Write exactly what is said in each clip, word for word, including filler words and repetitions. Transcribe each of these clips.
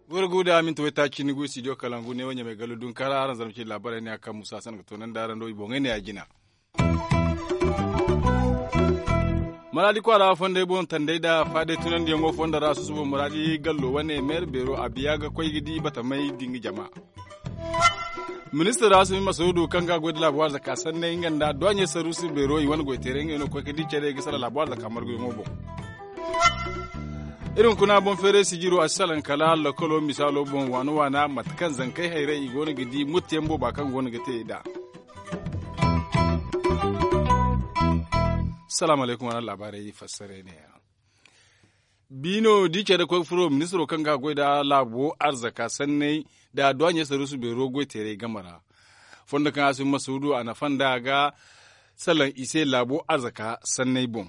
Goro guda minti waytaaci ni gu studio kalangu ne wanya mai gallo dun kara aran zarma ce labarai ne akan musa san ga tonan da aran do i boŋay ne a jina. Maradi kwaara fondey boŋ tandey da faadey tunandiyaŋo fondo ra susubo maradi gallo wane meere beero a biya ga koy ga di batamay din ga jama. Ministir ra sumi masaudu kaŋ ga a goy da laabu arzaka sanney nga nda duwaɲey saruusi beero i wane goy teeray ngey no ga koy ga di care ga sara laabu arzaka marguyaŋo boŋ. Iri hunkuna boŋ feeray sijiro a si salaŋ kala lokolo misaalo boŋ waana waana mate kaŋ zankey hayray i go no ga di muttiyaŋ booba kaŋ go no ga te i nd'a. Salaamu alaykum wala laabaarey fassaray ne ya. Biino di care koy furo ministiro kaŋ ga a goy nda laabo arzaka sanney nda duwaɲey saruusu beero goy teeray game ra. Fondo kaŋ a si masuudu a nafa nda a ga salaŋ i se laabo arzaka sanney boŋ.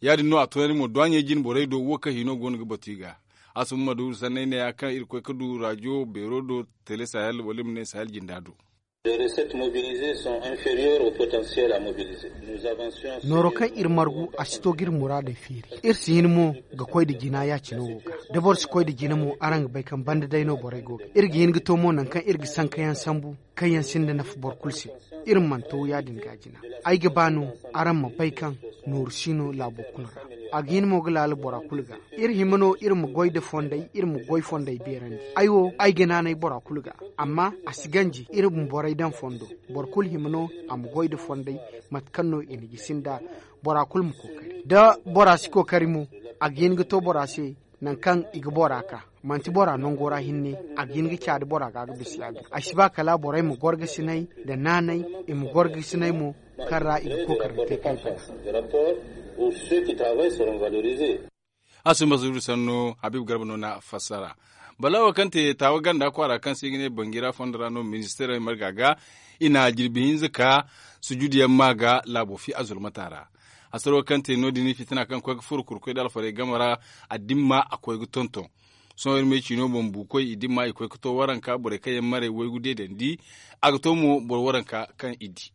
Ya- din no a toonandi mo duwaɲey jine borey do wo kaŋ hino go no ga batu i ga. A si masuudu sanney ne ya kaŋ iri koy ga du rajo beero do tele sahel wala i ma ne sahel jinda do. Nooro kaŋ iri margu a si to ga iri muraadey feeri. Iri si hin mo ga koy nda jina ya- cine wo ga da boro si koy nda jina mo araŋ ga bay kaŋ banda day no borey go ga iri ga hin ga to mo nangu kaŋ iri ga sankayaŋ sambu kaŋ yaŋ sinda nafa boro kulu se. Iri mana to ya- din ga jina. Ay ga ba no araŋ ma bay kaŋ nooru si no laabo kulu ra. A ga hin mo ga laala bora kulu ga. Iri hima no iri ma goy nda fondey iri ma goy fondey beerandi. Ay wo ay ga naanay bora kulu ga. Amma a si ganji iri ma borey daŋ fondo. Boro kulu hima no a ma goy nda fondey mate kaŋ no i na gisi nda bora kulu ma kookari da bora si kookari mo. A ga hin ga to bora se nangu kaŋ i ga bora ka manti bora nango ra hinne. A ga hin ga caadi bora ga ga bisa ya- din ay si ba kala borey ma gorgasinay nda naanay i ma gorgasinay mo kaŋ ra i ga kookari ga te kaŋ i bana. A si masuudu sanno habiibu garba no na fassara. Bala wo kaŋ te taawa ganda kwaara kaŋ se i ga ne banjira fondo ra no ministeerey marga ga i na jirbi hinza ka sujuduyaŋ ma ga laabo fi a zulmata ra. Hasaro kaŋ te no- din fitina kaŋ koy ga furo kurkoy da alfarey game ra a dimma a koy ga tonton. Sohõ iri me ciino boŋ buukoy i dimma i koy ga to waranka borey kaŋ yaŋ maray waygu deedandi. A ga to mo boro waranka kaŋ i di.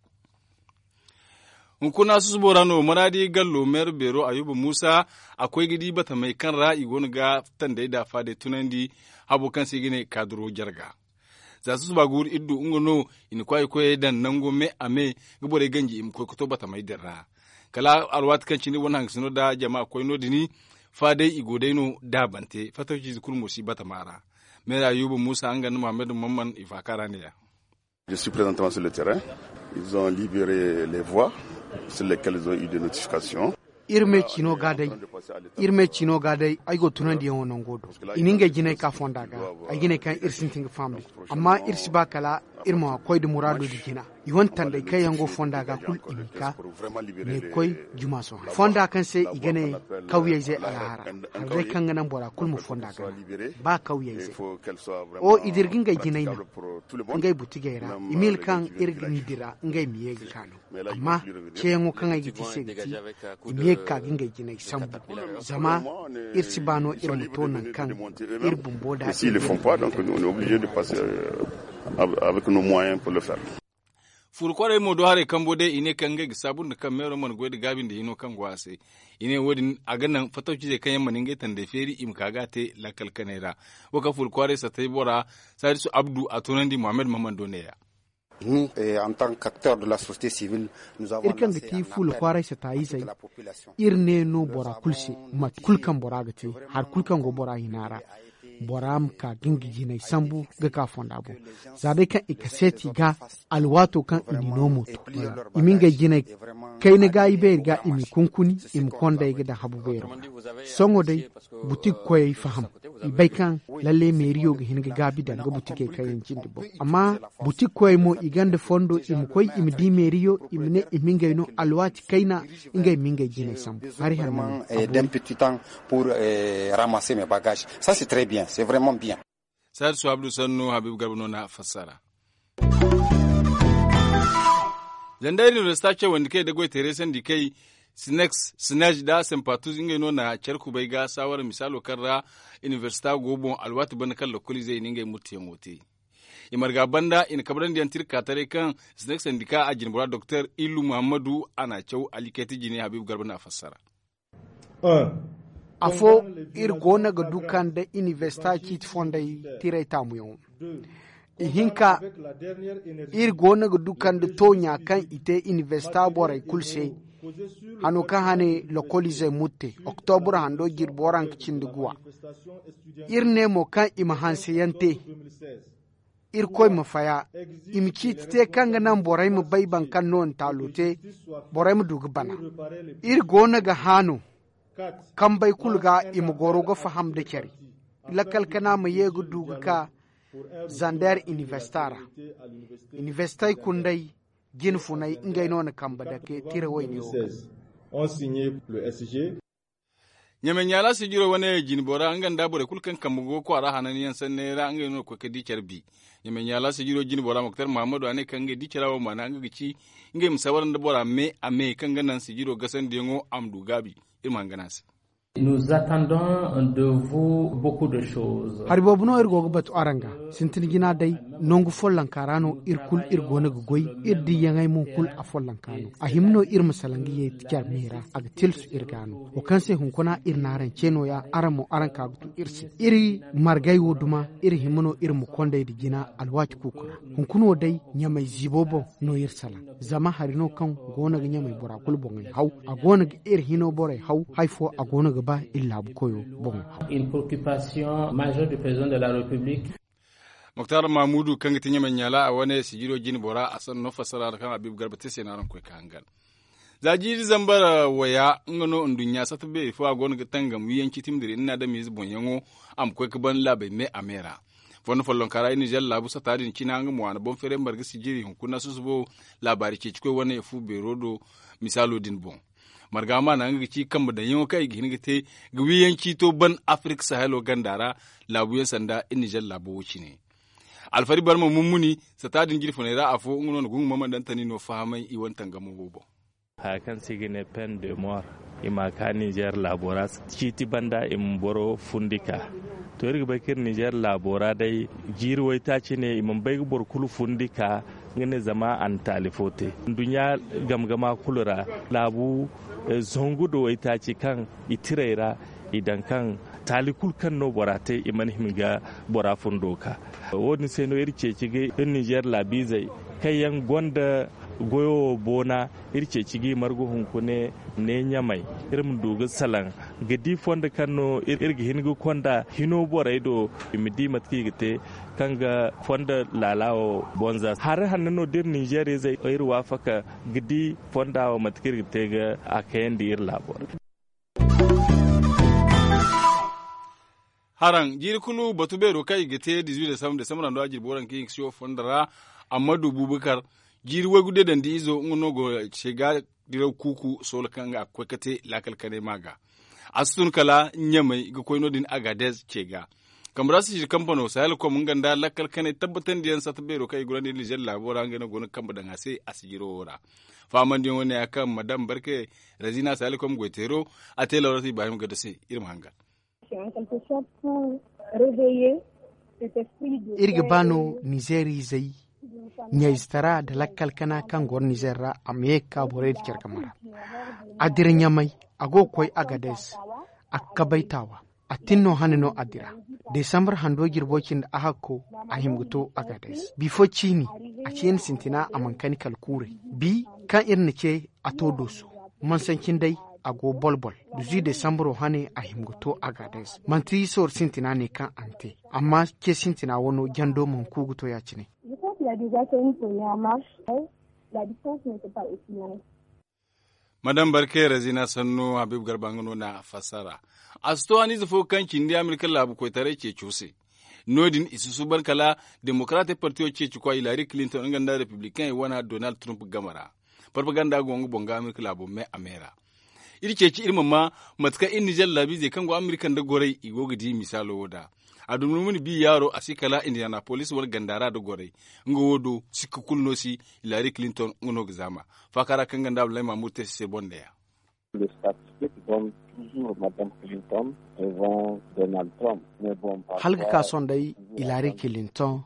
Hunkuna susubo ra no maraadi gallo meera beero ayuba muusa a koy ga di batamey kaŋ ra i go no ga tandey da faadey tunandi. Habo kaŋ se i ga ne kaaduro jarga za susuba guuru iri du nga no i na kwaay koyey daŋ nango me a me ga borey ganji i ma koy ga to batamey din ra. Kala alwaati kaŋ cine wane hangasino nda jama koy no- din faadey i go day no daabante fattaw ciize kulu mo si batama ra. Meera ayuba muusa nga nda muhammad mamman i faaka ra ne- ya. Je suis présentement sur le terrain. Ils ont libéré les voies sur lesquelles ils ont eu des notifications. Iri me ciino ga day ay go tunandiyaŋo nango do i na ngey jinay ka fonda ga. Ay ga ne kaŋ iri sintin ga fahamndi amma iri si ba kala iri ma koy nda muraado nda jina. I wane tandey kaŋ yaŋ go fonda ga kulu i ma ka ne koy juma sohõ fonda kaŋ se i ga ne kawyey zey alahara. Hari day kaŋ ga naŋ bora kulu ma fonda ga ba kawyey zey. O i dira ga ngey jinay naŋ ngey butigey ra i ma hin kaŋ iri ga ni dira ngey ma ye ga ka no. Amma ceeyaŋo kaŋ ay ga te se ga ti i ma ye ga ka ga ngey jinay sambu. Zama iri si ba no iri ma to nangu kaŋ iri bumbo da. Furu kwaarey mo do haray kambo day i ne kaŋ ngey ga saabu nda kaŋ meero mana goy nda gaabi nda hino kaŋ go a se. I ne wo- din a ga naŋ fattawcizey kaŋ yaŋ mana ngey tandey feeri i ma ka ga a te lakkal kaney ra. Wo kaŋ furu kwaarey sattay bora saadisu abdu a toonandi muhammad mahamman do neeya. Iri kaŋ ga ti fuula kwaaray sataayizey iri ne no bora kulu se mate kulu kaŋ bora ga te hari kulu kaŋ go bora hina ra. Bora ma ka ga nga jinay sambu ga ka fonda boŋ. Za day kaŋ i kaseeti ga alwaato kaŋ i n'i no mo to i ma ngey jinay kayna ga i beeri ga i m'i kunkuni i ma kondey ga daŋ habu beero ra. Sohõ day butik koyey faham i bay kaŋ lalle meeriyo ga hin ga gaabi danga butikey kaŋ yaŋ cindi boŋ amma butik koyey mo i gonda fondo i ma koy i ma di meeriyo i ma ne i ma ngey no alwaati kayna ngey ma ngey jinay sambu hari hanno. D'un petit temps pour ramasser mes bagages ça c'est très bien c'est vraiment bien. Saadu suwabdu sannu habiibu garba no na fassara. Zandayri universita cawandi kay da goy teeray sandi kay sinex sinaj da sempatuz ngey no na care kubay ga saawara misaalo kaŋ ra universita go boŋ alwaati banda kaŋ lokoliizey i na ngey murtiyaŋo te. I marga banda i na kabrandi yaŋ tirka taray kaŋ sinek sandika a jinbora doktor ilu muhammadu a na a caw alikayti jine habiibu garba na a fassara. Afo, iri go no ga du kaŋ da inibersita ciiti fondey tiray taamuyaŋo. Ihinka, iri go no ga du kaŋ da tooɲa kaŋ i te inibersita borey kulu se, hano kaŋ hane lokoliizey mutte oktobur hando jirbi waranka cindi guwa. Iri ne mo kaŋ i ma hanseyaŋ te. Irkoy ma faya, i ma ciiti te kaŋ ga naŋ borey ma bay boro kaŋ no ntaalo te, borey ma du ga bana. Iri go no ga haano kambey kulu ga i ma goro ga faham nda care. Lakkal kana ma ye ga du ga ka zander inibersita ra. Inibersitey kunday, jine funay ngey no na kambe dake tira wayne wo ga. Ɲamay ɲaala sijiro wane jinbo ra nga nda borey kulu kaŋ kambe go kwaara hananyaŋ sanney ra ngey no ga koy ga di care bi. Ɲamay ɲaala sijiro jinbo ra moktar muhammadu a ne kaŋ ngey di cara wo maana nga ga ci ngey ma sabar nda bora me a me kaŋ ga naŋ sijiro gasandiyaŋo a ma du gaabi. Iri ma hangan a se. Hari boobo no iri go ga batu araŋ ga. Sintin jina day, nangu follonka ra no iri kulu iri go no ga goy. Iri diyaŋey mo kulu a follonka no. A hima no iri ma salaŋ ga ye care me ra, a ga tilsu iri ga no. Wo kaŋ se hunkuna iri n'araŋ ce nooya, araŋ mo araŋ ka ga tu iri se. Iri margay wo duma iri hima no iri ma kondey nda jina alwaati kuuku ra. Hunkuna wo day, ɲamay ziibo boŋ no iri salaŋ. Zama hari no kaŋ go no ga ɲamay bora kulu boŋey haw. A go no ga iri hino borey haw. Hari fo a go no ga ba iri laabu koyo boŋo haw. Moktar mamudu kaŋ ga ti ɲamay ɲaala a wane sijiro jine bora a sanno fassara ra kaŋ habiibu garba te se no araŋ koy ga hangan. Za jiiri zambar waya nga no nduɲɲa sata beeri fo a go no ga tangam wiyaŋ ciitim dira iri na adamiize boŋyaŋo. A ma koy ga ban laabey me a me ra. Fondo follonka ra iri nizer laabu sata din cina nga mo a na boŋ feeray marga sijiri hunkuna susubo. Laabaari ceecikoy wane fu beero do. Misaalo din boŋ marga maana nga ga ci kambe daŋyaŋo kaŋ i ga hin ga te ga wiyaŋ ciito ban afirik sahelo ganda ra. Laabuyaŋ sanda iri nizer laabo wo cine. Alfari barma mummuni sata din jirfuney ra afo nga no na gungu mamandantani no fahamay i wane tangamo wo boŋ. Haya kaŋ se i ga ne pen de mor i ma ka nizer laabo ra ciiti banda i ma boro fundi ka. To iri ga bay kaŋ iri nizer laabo ra day jiiri waytaaci ne i mana bay ga boro kulu fundi ka. Nga ne zama a na taali fo te nduɲɲa gamgama kulu ra laabu zangu nda waytaaci kaŋ i tirey ra i daŋ kaŋ taali kulu kaŋ no bora te i mana hima ga bora fundo ka. Wo- din se no iri ceeci ga iri nizer laabiizey kaŋ yaŋ gonda goyo wo boona. Iri ceeci ga i margu hunkune ne ɲamay iri ma du ga salaŋ ga di fondo kaŋ no iri ga hin ga konda hino borey do i ma di mate kaŋ i ga te kaŋ ga fondo laala wo bonza hari hanno no da iri ninzeer izey iri waafaka ga di fonda wo mate kaŋ iri ga te ga a kayandi iri laabo ra. Haraŋ jiiri kulu batu beero kaŋ i ga te dizuwi desambar desambar ra no a jirbi waranka hinka si wo fondo ra. Ammadu bubakar jiiri waygu deedandi izo nga no go ce ga diraw kuuku soola kaŋ a ga koy ga te laakal kanay ma ga. A si tun kala ɲamay ga koy no- din agadez ce ga. Kambe ra si siri kampano sahel kom nga nda lakkal kanay tabbatandiyaŋ sata beero kaŋ i gurandi nizer laabo ra ngey no go no ga kambe daŋ a se a si jiro wo ra. Faamandiyaŋo ne ya kaŋ madam barke rezina sahel kom goyteero a te lawrata ibrahim gado se. Iri ma hangan. Iri ga ba no nizeer izey ɲayzetaray nda lakkal kana kaŋ goro nizeer ra a ma ye ga ka borey din care game ra. A dira ɲamay, a go ga koy agadez. A ga kabay taawa. A tin no hane no a dira. Desambar hando jirbo cindi a hakko a hima ga to agadez bifo ciini. A ciini sintina a mana kani kala kuurey bi kaŋ iri na ce a to dooso. Mansancin day a go bolbol. Duzu desambaro hane a hima ga to agadez manti sooro sintina ne kaŋ a na te. Amma ce sintina wano jando mana ku ga to ya- cine. Madam barke rezina sanno habiibu garba nga no na fassara. A si to haniize fo kaŋ cindi amerika laabu koytaray ceeco se. No- din i si suuban kala demokarate partiyo ceeci kwa hilari kilinton nga nda republikaŋey wana donald trump game ra. Parpaganda go nga boŋ ga amerika laabo me a me ra. Iri ceeci iri ma ma mate kaŋ iri nizer laabiizey kaŋ go amerika nda gorey i go ga di misaalo wo da. A dumi no ma ni bi yaaro a si kala indiyanapolis wane ganda ra nda gorey. Nga wo do sikka kulu no si hilari kilinton nga no ga zaama. Faaka ra kaŋ ga nda abdulahi mamudu te se se boŋ nda ya. Hala ga ka sohõ day, hilari kilinton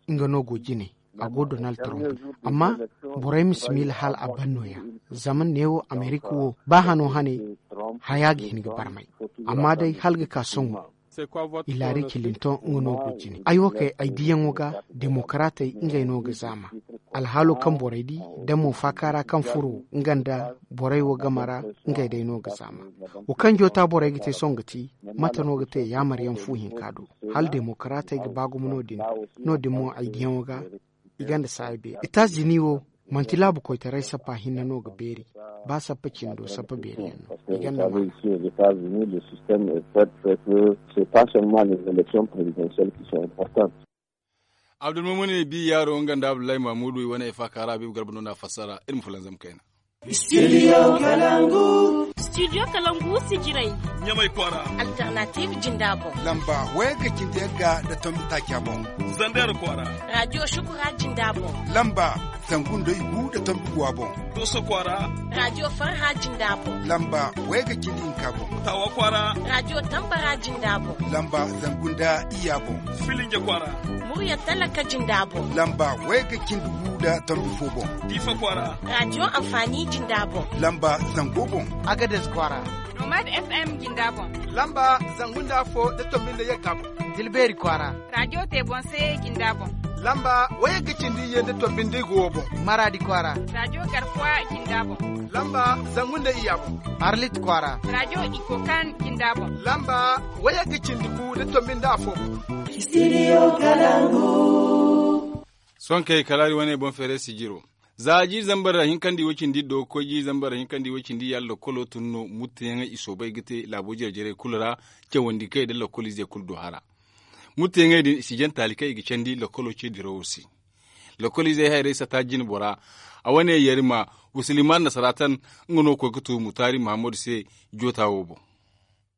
nga no go jine. A go donald trump. Amma borey ma si miila hala a ban nooya. Zama neewo amerika wo ba hano hane haya ga hin ga barmay. Amma day hala ga ka sohõ, hilari kilinton nga no go jine. Ay wo kay ay diyaŋo ga demokaratey ngey no ga zaama. Alhaalo kaŋ borey di da mo faaka ra kaŋ furo nga nda borey wo game ra, ngey day no ga zaama. Wo kaŋ joota borey ga te sohõ ga ti, mate no ga te yaamaryaŋ fu hinka do? Hala demokaratey ga ba gumo no- din. No- din mo ay diyaŋo ga i gonda saaya beeri. Etazini wo manti laabu koytaray sappa hinne no ga beeri. Ba sappa cindo sappa beeri yaŋ no i gonda maana. Abdulmumuni bi yaaro nga nda abdullahi mamudu i wane ay faaka ra habibu garba no na fassara iri ma fulanzam kayna. Studio kalangu si jiray ɲamay kwaara. Alternative jinda boŋ. Lamba waya ga cindi yagga da tombi taaca boŋ. Zander kwaara. Radio shukura jinda boŋ. Lamba zangu nda igu da tombi guwa boŋ. Doso kwaara. Radio farha jinda boŋ. Lamba waya ga cindi hinka boŋ. Tawa kwaara. Radio tambara jinda boŋ. Lamba zangu nda iya boŋ. Filinja kwaara. Murya talaka jinda boŋ. Lamba waya ga cindi gu da tombi fo boŋ. Diifa kwaara. Radio amfani jinda boŋ. Lamba zango boŋ. Agades kwaara. Nomad fm jinda boŋ. Lamba zangu nda afo da tombi nda yagga boŋ. Dilbeeri kwaara. Radio te boŋ se jinda boŋ. Lamba waya ga cindi iyye nda tombi nda igo boŋ. Maradi kwaara. Radio garkuwa jinda boŋ. Lamba zangu nda iya boŋ. Arlit kwaara. Radio ikokan jinda boŋ. Lamba waya ga cindi gu da tombi nda afo boŋ. Sohõ kay kala iri wane boŋ feeray sijiro. Za jiiri zambar ra hinkandi way cindi do ga koy jiiri zambar ra hinkandi way cindi ya lakkolo tun no mutteyaŋey i soobay ga te laabo jare-jarey kulu ra. Cawandi kay da lakkol izey kulu do hara. Mutteyaŋey din i si jaŋ taali kaŋ i ga candi lakkolo ce dirawo se. Lakkol izey hayrey sata jine bora. A wane yarima usiliman nasaratan nga no koy ga tu mutaari mahammadu se. Joota wo boŋ.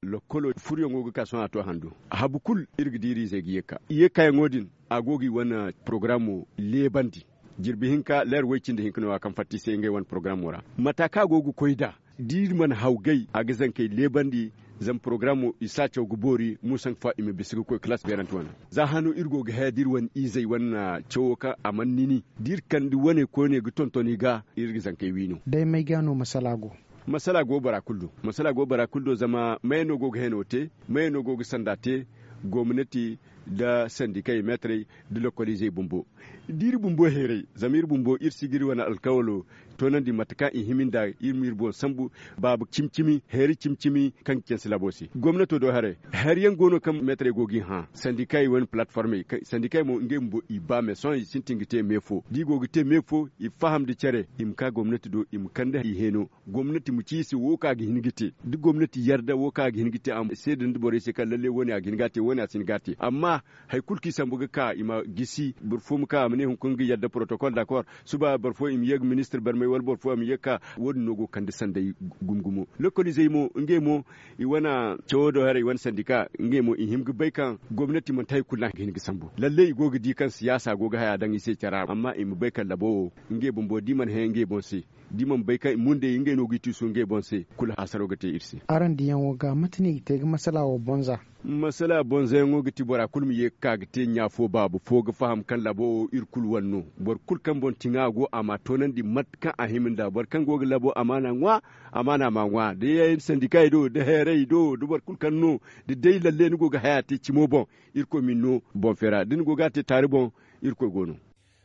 Lakkolo furyaŋo ga ka sohõ a to a handu. Habu kulu iri ga di iri izey ga ye ga ka i ye ga kaayaŋo din. A go ga i wane porogaramo leebandi. Jirbi hinka leer way cindi hinka no- ya kaŋ fatta i se ngey wane porogaramo ra. Mata kaŋ a go ga koy nd'a da iri mana haw gay a ga zankey leebandi. Zama porogaramo i si a caw ga boori muusa nga fo i ma bisa ga koy kalaas beerante wane. Za hano iri go ga haya da iri wane izey wane cawo kaŋ a mana nini da iri kande wane koyne ga tonton i ga. Iri ga zankey wi no. Day may ga no masala go. Masala go bora kulu do. Masala go bora kulu do zama maye no go ga heno te. Maye no go ga sanda te. Gomnati nda sandikey meetarey nda lokoliizey bumbo. Da iri bumbo heeray zama iri bumbo iri si ga iri wane alkawalo toonandi mate kaŋ i hima nd'a. Iri ma iri boŋ sambu baabu cimi-cimi heeri cimi-cimi kaŋ ga canse laabo se gomnato do haray. Hari yaŋ go no kaŋ meetarey go g'i hã sandikey wane palatiformey sandikey mo ngey bumbo i ba me sohõ i sintin ga te me fo da i go ga te me fo i faham nda care i ma ka gomnati do i ma kande i heeno. Gomnati ma ci i se wo kaŋ a ga hin ga te da gomnati yarda wo kaŋ a ga hin ga te a ma seeda nda borey se kaŋ lalle wo- ne a ga hin ga a te wo- ne a si hin ga a te amma hari kulu kaŋ i sambu ga ka i ma gisi boro fo ma ka a ma ne hunkuna ga yarda porotokol dakor. Suba boro fo i ma ye ga ministir barmay wala boro fo a ma ye ga ka wo- din no go ga kande sanday gumo-gumo. Lokoliizey mo ngey mo i wane cawo do haray i wane sandika ngey mo i hima ga bay kaŋ gomnati manti hari kulu no a ga hin ga sambu lalle i go ga di kaŋ siyaasa go ga haya daŋ i se care ra amma i ma bay kaŋ labo wo ngey bumbo da i mana hẽ ngey boŋ se. Da i mana bay kaŋ i mundey ngey no ga i tuusu ngey boŋ se. Kulu haasaro ga te iri se. Araŋ diyaŋo ga mate no i ga te ga masala wo boŋ za? Masala boŋ zayaŋo ga ti bora kulu ma ye ga ka ga te ɲa fo baabu fo ga faham kaŋ labo wo iri kulu wane no. Boro kulu kaŋ boŋ tiŋa go a ma a toonandi mate kaŋ a hima nd'a boro kaŋ go ga labo amaana ŋwa. Amaana ma a ŋwa da yaŋ sandikey do da heerey do da boro kulu kaŋ no da day lalle ni go ga haya te cimo boŋ. Irkoy ma ni no boŋ feera da ni go ga a te taari boŋ. Irkoy go no.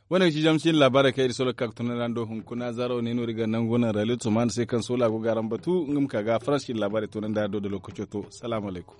Wane ga ci zama si ni laabaarey kaŋ iri solo ga ka ga tunandi araŋ do hunkuna zaaro ne no iri ga nangu naŋ raylit soman se kaŋ soola go ga araŋ batu nga ma ka ga faransi iri laabaarey tunandi araŋ do da lookaco to. Salaamu alaykum.